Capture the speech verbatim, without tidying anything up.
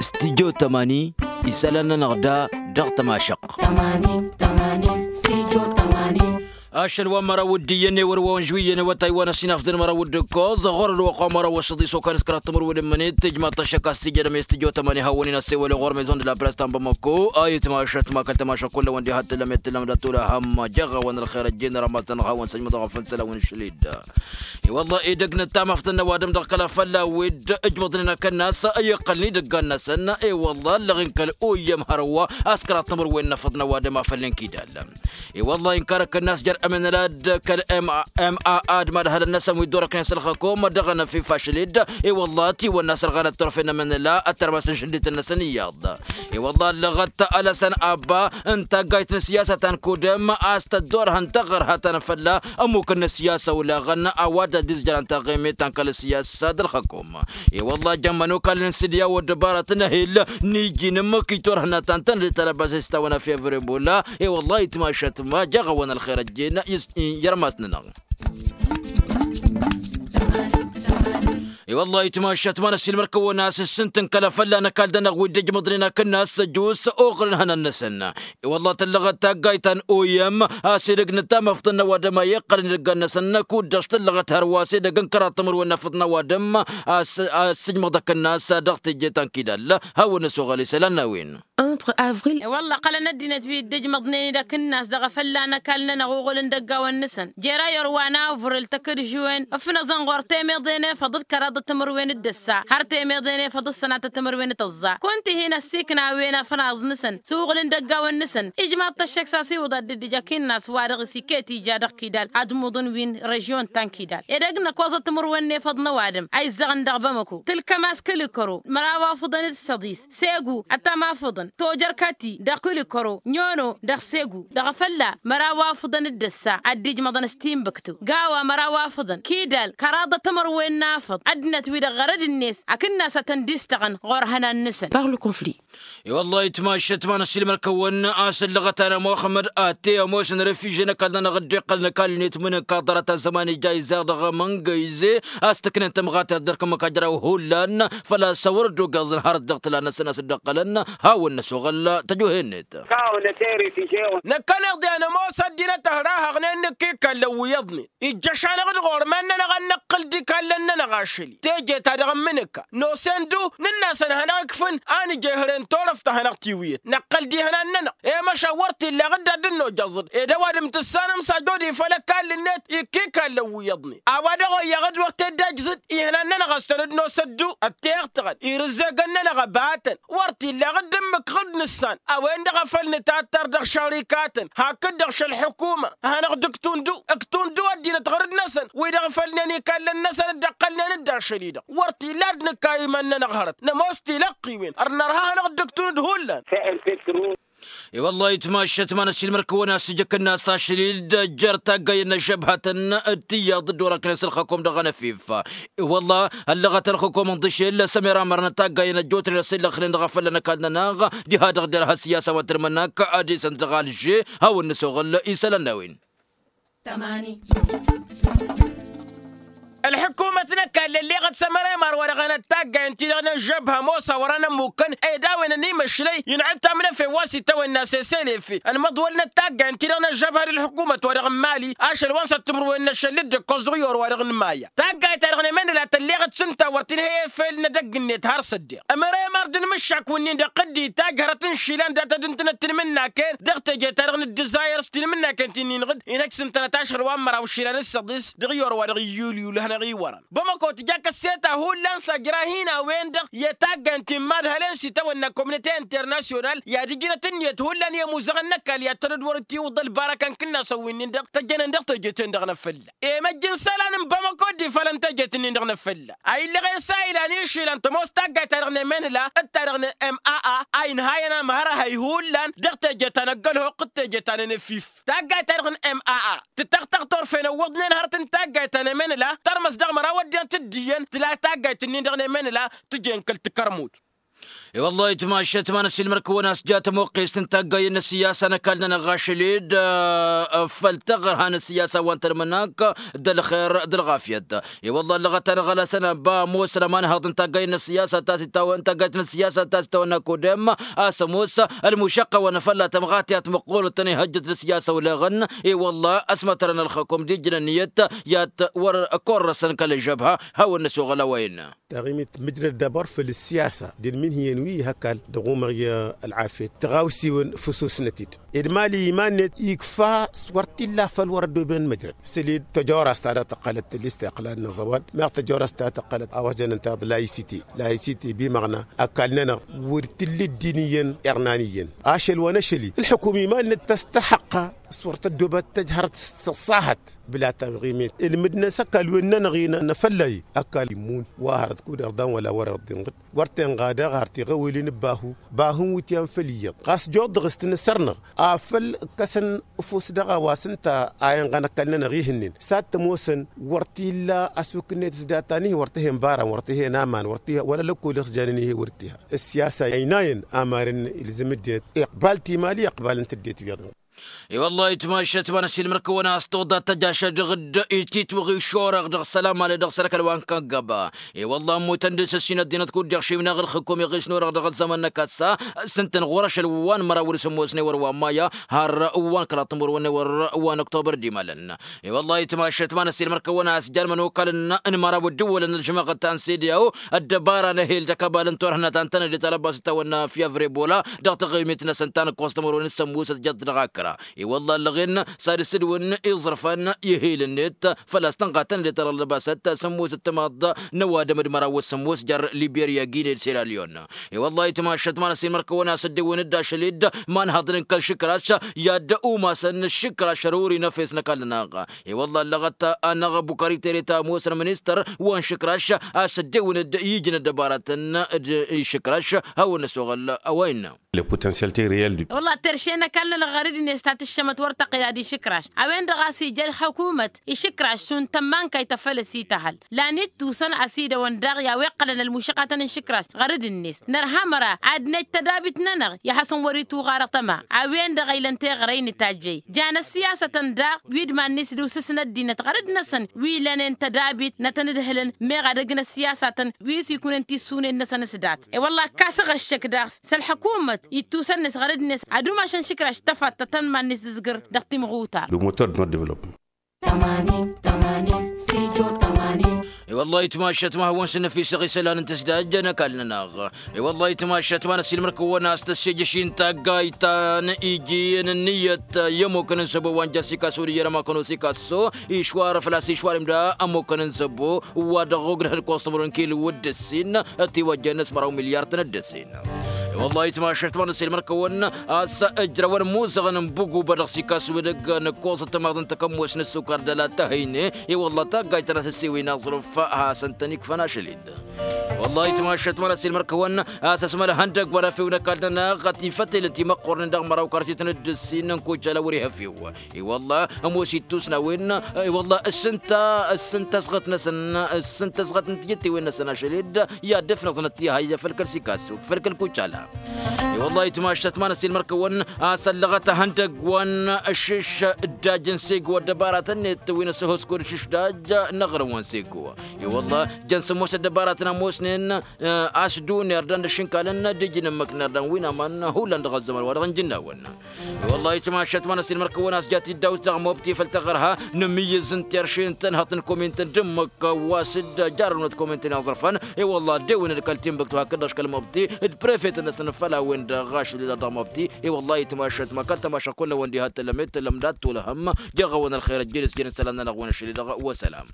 Studio tămani. Isălan-nănăɣ da dăɣ-tămašăqq. Ašăl wa n-măraw d-iyyăn ewăr wa n-žwiyyăn awătay wa n-ăsinafdăn măraw d-ǝkkoẓ ɣur-ălwăqq wa n-măraw wa s-ăḍis okănăs kăraḍ timǝrwen ǝmmǝnet tijmaḍ-t ăššăk a-s tijădăm i-studio tămani hawăn-in-ăssewăl ɣur-maison de la presse ta n-bamăko a itmašăt ma kăl-tămašăt kull-awăn diha t-tǝllăm i-t-tǝllăm d-atula hamm. Jăɣ-awăn ălxer ăjjeen rămătăn hawăn-săjmăḍ ɣăfăn săl-awăn išlid. I-wălla edăgg n-ăttam afḍăn n-ăwadǝm dăɣ-kăla fălla-wi-dd ǝjmăḍnen akănnas i-iqqălăn idăggan-năsăn. I-wălla ăllăɣ-in kăl-oyyăm hărwa a-s kăraḍ timǝrwen n-afăḍ n-ăwadǝm a făl n-kidal. I-wălla inkar akănnas jer-ămănăla d-kăl-mma d-madhălăn-năsăn wi dd-orăknen s-ălxăkom dăɣ-anăfif ašlid. I-wălla tiwănna s-ărɣanăt turfen n-ămănăla ăttărmas n-išǝndităn-năsăn iyyăḍ. I-wălla ăllăɣăt alăsăn abba n-taggayt n-siyasa ta n-kudăm a-s tăddorhăn taɣărha ta n-fălla ămmuk n-siyasa olaɣăn a-wa dd-ăddizjărăn taɣemet ta n-kăl-siyasa d-ălxăkom. I-wălla jămmăn okal n-sǝdya wa dd-ăbarat n-ehil n-iji n-ǝmmǝk itorhăn ad-tăn-tăn-dd-talăbas s-tawănăf i-avribula. I-wălla itmašăt ma jăɣ-awăn ălxer ăjjeen i-s-i-irmas-nănăɣ. I-wălla itmašăt ma n-ăssiilmăr-kăwăn a-s ǝssǝntǝn kăla fălla n-ăkall-dănăɣ wi dd-ǝjmăḍnen akǝnnas ăjus oɣǝlăn ihănan-năsăn. I-wălla tăllăɣăt taggayt ta n-oyăm a-s edăgg n-ăttam afḍăn n-ăwadǝm a iqqălăn idăggan-năsăn. Kud-dăɣ s-tăllăɣăt hărwa s-edăgg n-kăraḍ timǝrwen n-afăḍ n-ăwadǝm a-s ăssǝjmăḍ akǝnnas dăɣ-teje ta n-kidal. Hawăn-năsoɣăl isălan n-a-wen. Entre avril. I-wălla ăqqălăn ăddinăt wi dd-ǝjmăḍnen-dd akǝnnas dăɣ-efălla n-ăkall-nănăɣ uɣǝl n-idăggawăn-năsăn jer-ayăr wa n-avril tăkǝdžuwen ǝfnăẓăn ɣur-temeḍe n-efăḍ d-kăraḍ d-timǝrwen d-ǝssa har temeḍe n-efăḍ d-sănatăt timǝrwen d-tǝẓẓa kunta ihi n-ăssiikna a-wen afnaẓ-năsăn s-uɣǝl n-idăggawăn-năsăn. Ijmaḍ-t ăššăk s-a-s iwǝḍa dd-ija akǝnnas-wa-dăɣ s-iket ija dăɣ-kidal ad-muḍăn wi n-režion ta n-kidal edăgg n-ăkkoẓăt timǝrwen n-efăḍ n-ăwadǝm a izzăɣăn dăɣ-bamăko tǝlkăm a-s kăl-ikăro măraw afǝḍăn d-săḍis segu ăttam afǝḍăn tojărkăti dăɣ-kǝl-ikăro nyono dăɣ-segu dăɣ-efălla măraw afǝḍăn d-ǝssa ad-dd-ijmăḍăn s-timbǝktu gawa măraw afǝḍăn kidal kăraḍăt timǝrwen n-afǝḍ ăddinăt-wi-dăɣ ɣărăd-net akǝnnas ad-tăn-dd-istăɣăn ɣur-ihănan-năsăn. Par le conflit. I-wăllah itmašăt ma n-ăssiilmăr-kăwăn a-s ǝllăɣăt-anăɣ muxămmăd ate ămoosăn refiže n-ăkall-nănăɣ dd-iqqălăn ăkall-net mǝnǝk aḍrăt ăzzăman ija izzaɣ dăɣ-amăngăyze a-s tǝknen tămɣatert dăr-kămăk ajraw hullan făl-a-s a wăr dd-ogeẓăn hărăt dăɣ-tǝla-năsăn a-s dd-ăqqălăn. Hawăn-năsoɣăl tăjuhe-net. Năkkăneḍ i-ad-nămoos ăddinăt ăhrahăɣnen nǝkk ikallăn wi iyyăḍnen ijjăš-anăɣ-dd ɣur-iman-nănăɣ ad-năqqǝl d-ikallăn-nănăɣ ašăl-i teje-ta-dăɣ n-imǝnǝka nosăn-du nǝnn'-asăn hanăɣ-ikfǝn a nǝj ehăre n-turăft ta hanăɣ-tiwǝyăt năqqăl d-ihănan-nănăɣ. I-măšan wăr t-illa ɣǝdda ad-dd-nojăẓ-dd ed ăwadǝm tǝssanăm s-ajod ifăl ăkall-net ikk ikallăn wi iyyăḍnen. A-wa dăɣ-oyyăɣ d-wăr t-dd-ejzǝd ihănan-nănăɣ ăssănăd nosăn-du ăttăyăɣ-tăɣăn irǝzzegăn-nănăɣ ăbatăn. Wăr t-illa ɣǝdd ǝmmǝk ɣǝd nǝssan a-wen-dăɣ a făl nǝtattăr dăɣ-šărikatăn hakd-dăɣ šăl-ḥukuma. Hanăɣ-dd-ǝktundu ǝktundu ăddinăt ɣărăd-năsăn wi-dăɣ fălnen ikallăn-năsăn dd-ăqqălnen-dd ašăl-i-dăɣ. Wăr t-illa ad-nǝkka iman-nănăɣ hărăt nămoos tilăqqiwen ărnărha hanăɣ-dd-ǝktun d-hullan. I-wăllah itmašăt ma n-ăssiilmăr-kăwăn a-s ija akǝnnas ašăl-i-dd jer-taggayen n-ăžžăbhătăn d-tiyyăḍ dd-orăknen s-ǝlxăkom dăɣ-anăfif. I-wăllah ăllăɣăt ălxăkom ǝnḍǝšel s-ămiramărăn taggayen ăjjootnen ăssillăxnen dăɣ-afălla n-ăkall-nănăɣ diha-dăɣ derha ăssiyasa wa tǝrmǝnnak ad-isăn dăɣ-alže. Hawăn-năsoɣăl isălan n-a-wen. Ălḥǝkumăt n-ăkall ălleɣăt s-ămăra imar wa dăɣ-enăt taggayen-ti-dăɣ n-ăžžăbha ămoos a wăr-anăn ămmukkăn ed a-wen ănimăšlăy inɣăl tamnăfe wa s-itawănna s-esălefe ănmăḍwălnăt taggayen-ti-dăɣ n-ăžžăbha d-ălḥǝkumăt wa dăɣ-n mali. Ašăl wa n-săr timǝrwen n-ašăl dd-ǝkkoẓ dăɣ-i orwa dăɣ-nǝmaya taggayt-ta-dăɣ n-emenăla tălleɣăt s-ǝnta wăr tǝnhăy efel n-edăgg-net har s-ăddeɣ. Ămăra imar d-inmǝššak wǝnnin-dăɣ tǝddi tajhărăt n-išilan dat-ad-ǝntǝnăt tilmǝnnaken dăɣ-teje-ta-dăɣ n-dd-ǝzzayăr s-tilmǝnnaken ti n-inɣǝd inhăj s-ǝntănăt ašăl wa n-măraw išilan d-săḍis dăɣ-i orwa dăɣ-iyyulyul hanăɣ-iwărăn. Bamăko tǝja kăsseta hullan s-ajra hin-a-wen-dăɣ i-taggayen ti n-imadhălen s-itawănna komnite internasyonal i-ad-ǝjnăt ǝnniyăt hullan i-ămuzăɣăn n-ăkall i-ad-tăn-dd-wăr-dd-tiwǝḍ ălbarăka n-kǝnnasăn wi-nin-dăɣ tăjjănen dăɣ-teje-ten-dăɣ n-afălla. Emăjj n-isălan n-bamăko dd-ifalăn tejet-nin-dăɣ n-afălla a illăɣ esa ilan išilan tămoos taggayt-ta-dăɣ n-emenla d-ta-dăɣ n-maa a inhayăn amhărhăy hullan dăɣ-teje ta n-ăggălhoq d-teje ta n-enăfif. Taggayt-ta-dăɣ n-maa tǝtăɣtăɣ turfen ǝwwăḍnen hărăt n-taggayt ta n-emenla tărmăs dăɣ-măraw ăddinăt d-iyyăn tǝla taggayt-nin-dăɣ n-emenla tǝjen kăl-tikărmut. I-wăllah itmašat ma n-ăsilmăr-kăwăn a-s ja tămoqqest n-taggayen n-ăssiyasa n-ăkall-nănăɣ ašăl-dd făll-taɣărha n-ăssiyasa wa n-tălmănak d-ălxer d-ălɣafyăt. I-wăllah ăllăɣăt-anăɣ ălasăn ăba ămoosăn ămanhăḍ n-taggayen n-ăssiyasa ta s-ittawănna kodem a-s ămoos ălmušăqqa wa n-afălla tămɣatiyat măqqoolăt tăn-ihăjjăt d-ăssiyasa oleɣăn. I-wăllah ăsmătărăn ălxăkum d-ijnăn iyyăt i-ad-wăr-korrăsăn kăl-ăžžăbha hawăn-năsoɣăl a-wa innă. Taɣimit mǝjrăd d-abăr făll-ăssiyasa d-ǝlmin hi-ănwi ih' ăkall dăɣ-umăɣ i-ălɣafyăt tăɣawsiwăn făsusnăt-dd. Ed mali iman-net ikfa s-wăr t-illa făll-wăr ăddoben măjrăd săl-dd tăjorast ta dăɣ-tăqqălăt tăllist iqqălăn n-aẓăwal meɣ tăjorast ta tăqqălăt a-wa s-jănăn taḍ layisite layisite bimăɣna ăkall-nănăɣ wăr t-illa dd-iniyyăn irnan iyyăn. Ašăl wa n-ašăl-i ǝlxǝkum iman-net tăstăxăqqa s-wăr tăddobat tăjhărăt s-ăṣṣahăt. Bǝla taɣimit ǝlmǝd-năs ăkall-wen-nănăɣ-i n-afălla-i ăkall immun wa hărăt kud-irḍan wăla wăr-irḍinɣǝd wăr tenɣa daɣ har tiɣăwilin n-bahu bahu n-wǝtyan făll-iyyăḍ ɣas joḍ dăɣ-s tǝnǝsăr-năɣ afăl ǝkkăsăn ăfuss dăɣ-a-wa s-ǝnta a inɣăn ăkall-nănăɣ ihǝnnen s-ad-t-ămoosăn. Wăr t-illa ăsuk-net s-data n-ih wăr t-hen baran wăr t-hen aman wăr t-hen wăla lăkkol i-s janen ih' wăr t-iha. Ăssiyasa ăynayăn amaren ilzǝm ăddinăt iqbal timali iqbal n-tǝddit iyyăḍ. I-wăllah itmašat ma n-ăsilmăr-kăwăn a-s toḍa tăjašăt dăɣ-dd-ititwăɣ išorăɣ dăɣ-sălamale dăɣ-sărăkăl wa n-kăggăba. I-wăllah ămmutăn dăɣ-s ǝssin ăddinăt kud-deɣ šimnaɣ ǝlxǝkum iɣisnurăɣ dăɣ-ălzăman n-akăssa s-ǝntăn ɣur-ašăl wa n-măraw wăr-s ămoosnen wăr wa n-maya har wa n-kăraḍ timǝrwen wăr wa n-ăktobăr d-imalăn. I-wăllah itmašat ma n-ăsilmăr-kăwăn a-s jarmăn okal n-măraw ăddǝwwălăn ălžămaɣăt ta n-sediyaw ăddăbara n-ehel d-akăbal n-turhǝnat ta n-tănăde talăbas d-tawănna fyavre bola dăɣ-taɣimit-năsăn ta n-ǝkkoẓ timǝrwen s-ămmusăt jăt dăɣ-akra. I-wăllah ăllăɣen s-ad-ǝssǝdǝwăn iẓrǝfăn i-ehel-net făl-a-s tănɣa tănăde talăbasăt s-ămmusăt timaḍ n-ăwadǝm d-măraw s-ămmus jer-liberya gine d-seralyon. I-wăllah itmašat ma n-ăsilmăr-kăwăn a-s ăddewăn-dd ašăl-dd ma n-haḍnen kăl-išǝkraš i-ad-umasăn išǝkraš ăruri n-efes n-ăkall-nănăɣ. I-wăllah ăllăɣăt-anăɣ bukări tere ta ămoosăn ministăr wa n-išǝkraš a-s ăddewăn-dd ijnăt dăbaratăn d-išǝkraš. Hawăn-năsoɣăl a-wa innă. Le potentiel terreel du. Wăllah terše n-ăkall-nănăɣ ɣărăd-net ta tǝššămăt wăr tăqqǝy ad-išǝkraš a-wen-dăɣ a-s ija ălxăkumăt išǝkraš šund tămmankayt ta făl ăsităhăl. Lan ittusăn ăsidăwăn daɣ i-a-wa iqqălăn ălmušăqatăn n-išǝkraš ɣărăd-net nărha măra ad-nej tădabit-nănăɣ i-ad-hasăn-wăr-ituɣarăɣ tăma. A-wen-dăɣ a ilăn teɣăre inǝtajjăy jan ăssiyasătăn daɣ wi d-iman-net d-usǝsna ăddinăt ɣărăd-năsăn wi lănen tădabit n-ad-tăn-ǝdhǝlăn meɣ ad-ăgg n-ăssiyasatăn wi s-ikunen tissunen-năsăn s-dat. E-wălla ăkkasăɣ ăššăk daɣ s-ălxăkumăt ittusăn-net ɣărăd-net ad-umašăn išǝkraš tăfattăt ta n-iman-net d-ǝzgǝr dăɣ-timɣutar. Le moteur de notre développement. I-wăllah itmašat ma hawăn-sǝnnăfisăɣ isălan n-tǝsdajjăn ăkall-nănăɣ. I-wăllah itmašat ma n-ăssiilmăr-kăwăn a-s tăssejăš-in taggayt ta n-iji n-ǝnniyăt i-ămmukăn n-săbo wa n-jasikaso d-iyyăn ămakăn osikaso išwară făl-a-s išwarem da ămmukăn n-săbo wa dăɣ-ogdăh n-kostumărun kil wăr dd-ăssin. Tiwăjjăn n-asmăraw milyar tăn-dd-ăssin. I-wăllah itmašat ma n-ăssiilmăr-kăwăn a-s ǝjrăwăn imuzăɣăn n-bugubă dăɣ-sikaso edăgg n-ǝkkoẓăt tamaḍ n-takămmos n-ăssukar d-ăla tahăyne. I-wăllah taggayt ta n-asǝssewen aẓrǝf hasăn-tăn-ikfăn ašăl-dd. Wăllah itmašat ma n-ăssiilmăr-kăwăn a-s ăsmălăhăn dăgg-wăr efew n-ăkall-nănăɣ ătifătelăt imăqqornen dăɣ-măraw kartit n-dd-ǝssin n-kucala wăr-iha efew. I-wăllah ămoos ittus n-a-wen. I-wăllah ǝssǝnta ǝssǝnta ăsɣăt-năsăn ǝssǝnta ăsɣăt n-tijǝttewen-năsăn ašăl-dd i-ad-dd-ăfnăẓnăt tiha i-făl kăl-sikasu făl kăl-kucala. I-wăllah itmašat ma n-ăssiilmăr-kăwăn a-s ăllăɣăt ehăndăgg wa n-ǝššǝš dd-ajăn sego ăddăbaratăn-net wi n-ăssăhoskud ǝššǝš d-ajj n-aɣrǝm wa n-sego. I-wăllah jăn sămoos ăddăbaratăn ămoosnen a-s dd-unirdan d-ašǝnkalăn d-ijnǝmmăk n-irdan wi n-aman hullan dăɣ-ăzzăman wa dăɣ-n jǝnnawăn. I-wăllah itmašat ma n-ăssiilmăr-kăwăn a-s jat-dd-awǝt dăɣ-mobti făll-taɣărha n-ǝmmǝyyǝz n-terše n-tănhăḍt n-komint n-dǝmmǝk wa s-dd-jarrăwnăt komint n-iẓrăfăn. I-wăllah ăddewăn-dd kăl-timbuktu hakd-dăɣ kăl-mobti d-prefet-năsăn făll-a-wen-dăɣ ašăl-i-dăɣ dăɣ-mobti. I-wăllah itmašat ma kăl-tămaša kull a-wen diha tăllăm i-tăllăm dat-tolăhăm. Jeɣ-awăn ălxer ăjjel s-jăn isălan-nănăɣ-wen ašăl-i-dăɣ wa sălam.